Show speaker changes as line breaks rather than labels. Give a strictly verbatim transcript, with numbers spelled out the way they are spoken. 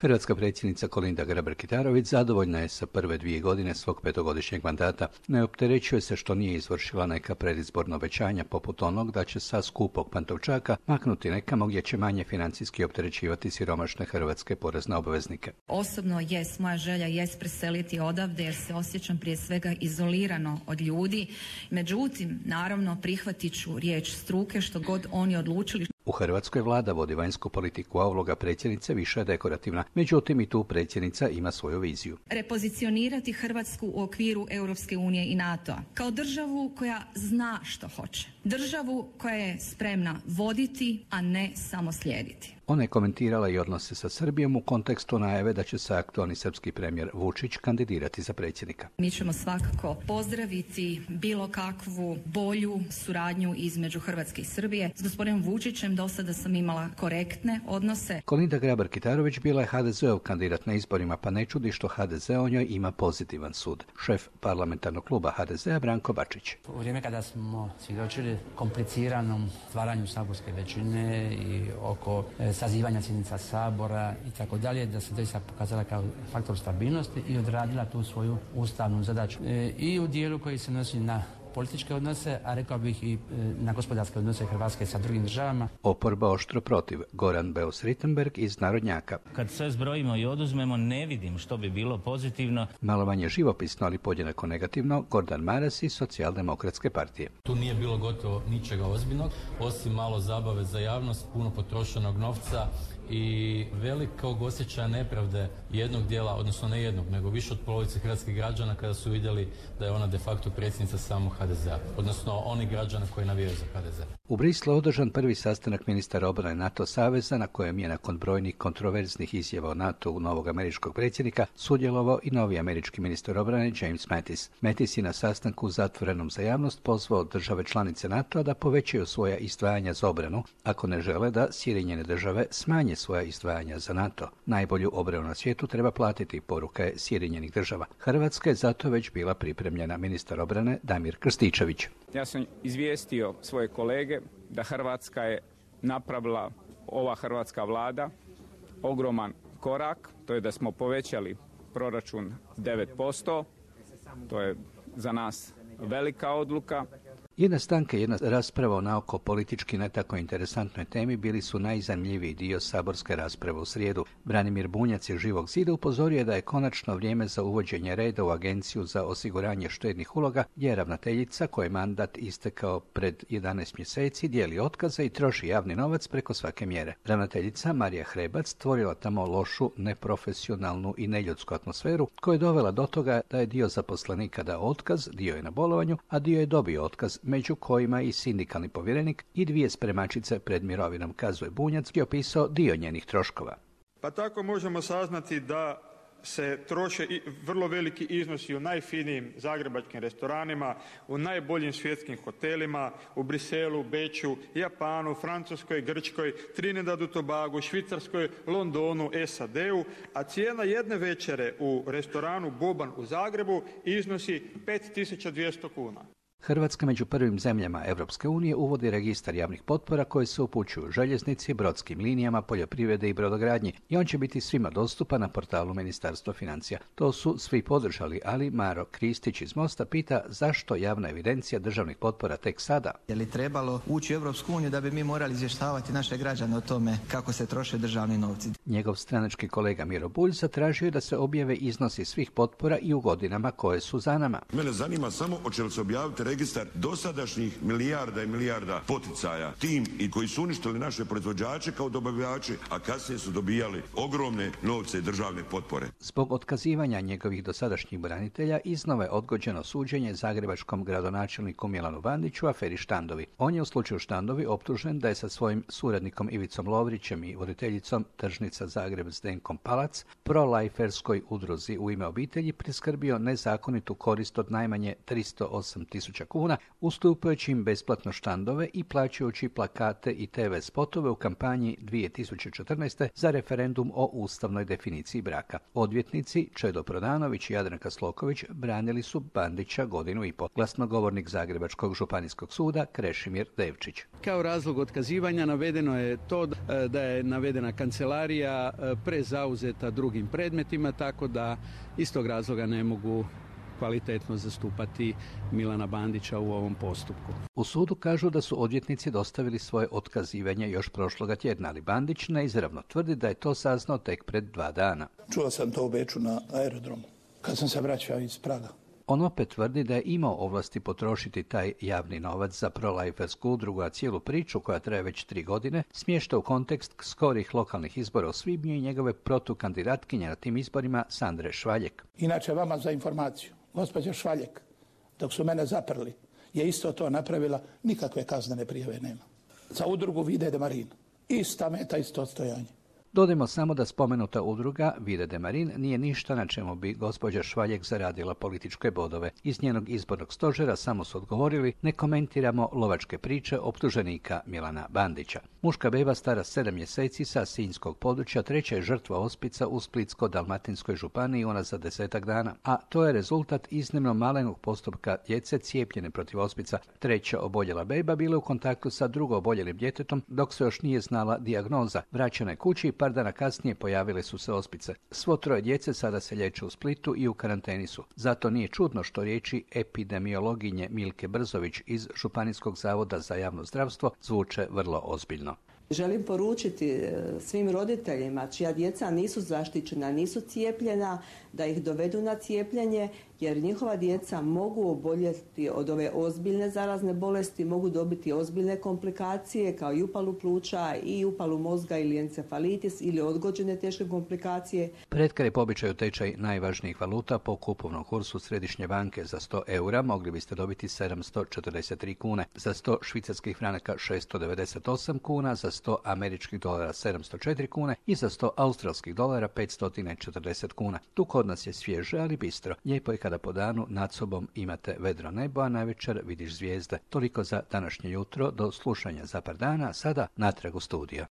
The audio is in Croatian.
Hrvatska predsjednica Kolinda Grabar-Kitarović zadovoljna je sa prve dvije godine svog petogodišnjeg mandata. Ne opterećuje se što nije izvršila neka predizborna obećanja poput onog da će sa skupog Pantovčaka maknuti nekamo gdje će manje financijski opterećivati siromašne hrvatske porezne obveznike.
Osobno jest moja želja jest preseliti odavde jer se osjećam prije svega izolirano od ljudi. Međutim, naravno prihvatit ću riječ struke što god oni odlučili.
U Hrvatskoj vlada vodi vanjsku politiku, a uloga predsjednice više je dekorativna. Međutim, i tu predsjednica ima svoju viziju.
Repozicionirati Hrvatsku u okviru Europske unije i NATO-a kao državu koja zna što hoće. Državu koja je spremna voditi, a ne samo slijediti.
Ona je komentirala i odnose sa Srbijom u kontekstu najave da će se aktualni srpski premijer Vučić kandidirati za predsjednika.
Mi ćemo svakako pozdraviti bilo kakvu bolju suradnju između Hrvatske i Srbije. S gospodinom Vučićem do sada sam imala korektne odnose.
Kolinda Grabar-Kitarović bila je ha de zeov kandidat na izborima, pa ne čudi što ha de ze o njoj ima pozitivan sud. Šef parlamentarnog kluba ha de zea Branko Bačić.
U vrijeme kada smo svjedočili kompliciranom stvaranju saborske većine i oko sazivanja sjednica Sabora i tako dalje, da se doista pokazala kao faktor stabilnosti i odradila tu svoju ustavnu zadaću. E, I u dijelu koji se nosi na političke odnose, a rekao bih i na gospodarske odnose Hrvatske sa drugim državama.
Oporba oštro protiv. Goran Beus-Richembergh iz Narodnjaka.
Kad sve zbrojimo i oduzmemo, ne vidim što bi bilo pozitivno.
Malo manje živopisno, ali podjednako negativno, Gordan Maras iz Socijaldemokratske partije.
Tu nije bilo gotovo ničega ozbiljnog, osim malo zabave za javnost, puno potrošenog novca i velikog osjećaja nepravde jednog dijela, odnosno ne jednog, nego više od polovice hrvatskih građana kada su vidjeli da je ona de facto predsjednica samog ha de zea, odnosno oni građana koji navijaju za ha de ze.
U Brislu održan prvi sastanak ministara obrane NATO saveza na kojem je nakon brojnih kontroverznih izjava o NATO-u novog američkog predsjednika sudjelovao i novi američki ministar obrane James Mattis. Mattis je na sastanku zatvorenom za javnost pozvao države članice NATO-a da povećaju svoja izdvajanja za obranu ako ne žele da Sjedinjene države smanje svoja izdvajanja za NATO. Najbolju obranu na svijetu treba platiti, poruka je Sjedinjenih država. Hrvatska je zato već bila pripremljena. Ministar obrane Damir Krstičević.
Ja sam izvijestio svoje kolege da Hrvatska je napravila, ova hrvatska vlada, ogroman korak, to je da smo povećali proračun devet posto, to je za nas velika odluka.
Jedna stanka i jedna rasprava o naoko politički ne tako interesantnoj temi bili su najzanimljiviji dio saborske rasprave u srijedu. Branimir Bunjac iz Živog zida upozorio je da je konačno vrijeme za uvođenje reda u Agenciju za osiguranje štednih uloga, gdje je ravnateljica koji je mandat istekao pred jedanaest mjeseci dijeli otkaze i troši javni novac preko svake mjere. Ravnateljica Marija Hrebac stvorila tamo lošu, neprofesionalnu i neljudsku atmosferu koja je dovela do toga da je dio zaposlenika dao otkaz, dio je na bolovanju, a dio je dobio otkaz, među kojima i sindikalni povjerenik i dvije spremačice pred mirovinom, kazuje Bunjac, je opisao dio njenih troškova.
Pa tako možemo saznati da se troše i vrlo veliki iznosi u najfinijim zagrebačkim restoranima, u najboljim svjetskim hotelima, u Briselu, Beču, Japanu, Francuskoj, Grčkoj, Trinidadu, Tobagu, Švicarskoj, Londonu, es a de u, a cijena jedne večere u restoranu Boban u Zagrebu iznosi pet tisuća dvjesto kuna.
Hrvatska među prvim zemljama Europske unije uvodi registar javnih potpora koje se upućuju željeznici, brodskim linijama, poljoprivrede i brodogradnji i on će biti svima dostupan na portalu Ministarstva financija. To su svi podržali, ali Maro Kristić iz Mosta pita zašto javna evidencija državnih potpora tek sada.
Je li trebalo ući u Europsku uniju da bi mi morali izvještavati naše građane o tome kako se troše državni novci?
Njegov stranački kolega Miro Bulj zatražio je da se objave iznosi svih potpora i u godinama koje su za nama.
Mene zanima samo hoće li se objaviti registar dosadašnjih milijarda i milijarda poticaja tim i koji su uništili naše proizvođače kao dobavljači, a kasnije su dobijali ogromne novce i državne potpore.
Zbog otkazivanja njegovih dosadašnjih branitelja iznova je odgođeno suđenje zagrebačkom gradonačelniku Milanu Bandiću u aferi Štandovi. On je u slučaju Štandovi optužen da je sa svojim suradnikom Ivicom Lovrićem i voditeljicom Tržnica Zagreb Zdenkom Palac pro-lajferskoj udruzi U ime obitelji priskrbio nezakonitu korist od najmanje tristo osam tisuća tisuća kuna, ustupajući im besplatno štandove i plaćajući plakate i te ve spotove u kampanji dvije tisuće četrnaeste. za referendum o ustavnoj definiciji braka. Odvjetnici Čedo Prodanović i Jadranka Sloković branili su Bandića godinu i po. Glasnogovornik Zagrebačkog županijskog suda Krešimir Devčić.
Kao razlog otkazivanja navedeno je to da je navedena kancelarija prezauzeta drugim predmetima, tako da iz tog razloga ne mogu kvalitetno zastupati Milana Bandića u ovom postupku.
U sudu kažu da su odvjetnici dostavili svoje otkazivanje još prošloga tjedna, ali Bandić neizravno tvrdi da je to saznao tek pred dva dana.
Čuo sam to u Beču na aerodromu, kad sam se vraćao iz Praga.
On opet tvrdi da je imao ovlasti potrošiti taj javni novac za prolajfersku udrugu, a cijelu priču, koja traje već tri godine, smješta u kontekst skorih lokalnih izbora u svibnju i njegove protukandidatkinje na tim izborima Sandre Švaljek.
Inače, vama za informaciju, gospođa Švaljek, dok su mene zaprli, je isto to napravila, nikakve kaznene prijave nema. Za udrugu Vide de Marin, ista meta, isto odstojanje.
Dodajmo samo da spomenuta udruga Vide de Marin nije ništa na čemu bi gospođa Švaljek zaradila političke bodove. Iz njenog izbornog stožera samo su odgovorili: ne komentiramo lovačke priče optuženika Milana Bandića. Muška beba stara sedam mjeseci sa sinjskog područja treća je žrtva ospica u Splitsko-dalmatinskoj županiji unazad desetak dana, a to je rezultat iznimno malenog postupka djece cijepljene protiv ospica. Treća oboljela beba bila u kontaktu sa drugo oboljelim djetetom dok se još nije znala dijagnoza. Vraćana je kući i par dana kasnije pojavile su se ospice. Svo troje djece sada se liječe u Splitu i u karanteni su. Zato nije čudno što riječi epidemiologinje Milke Brzović iz Županijskog zavoda za javno zdravstvo zvuče vrlo ozbiljno.
Želim poručiti svim roditeljima čija djeca nisu zaštićena, nisu cijepljena, da ih dovedu na cijepljenje, jer njihova djeca mogu oboljeti od ove ozbiljne zarazne bolesti, mogu dobiti ozbiljne komplikacije kao i upalu pluća i upalu mozga ili encefalitis ili odgođene teške komplikacije.
Pretkar je po običaju tečaj najvažnijih valuta po kupovnom kursu Središnje banke. Za sto eura mogli biste dobiti sedamsto četrdeset tri kune, za sto švicarskih franaka šesto devedeset osam kuna, za sto američkih dolara sedamsto četiri kune i za sto australskih dolara petsto četrdeset kuna. Tu kod nas je svježe, ali bistro. Lijepo je kada po danu nad sobom imate vedro nebo, a navečer vidiš zvijezde. Toliko za današnje jutro. Do slušanja za par dana. Sada natrag u studio.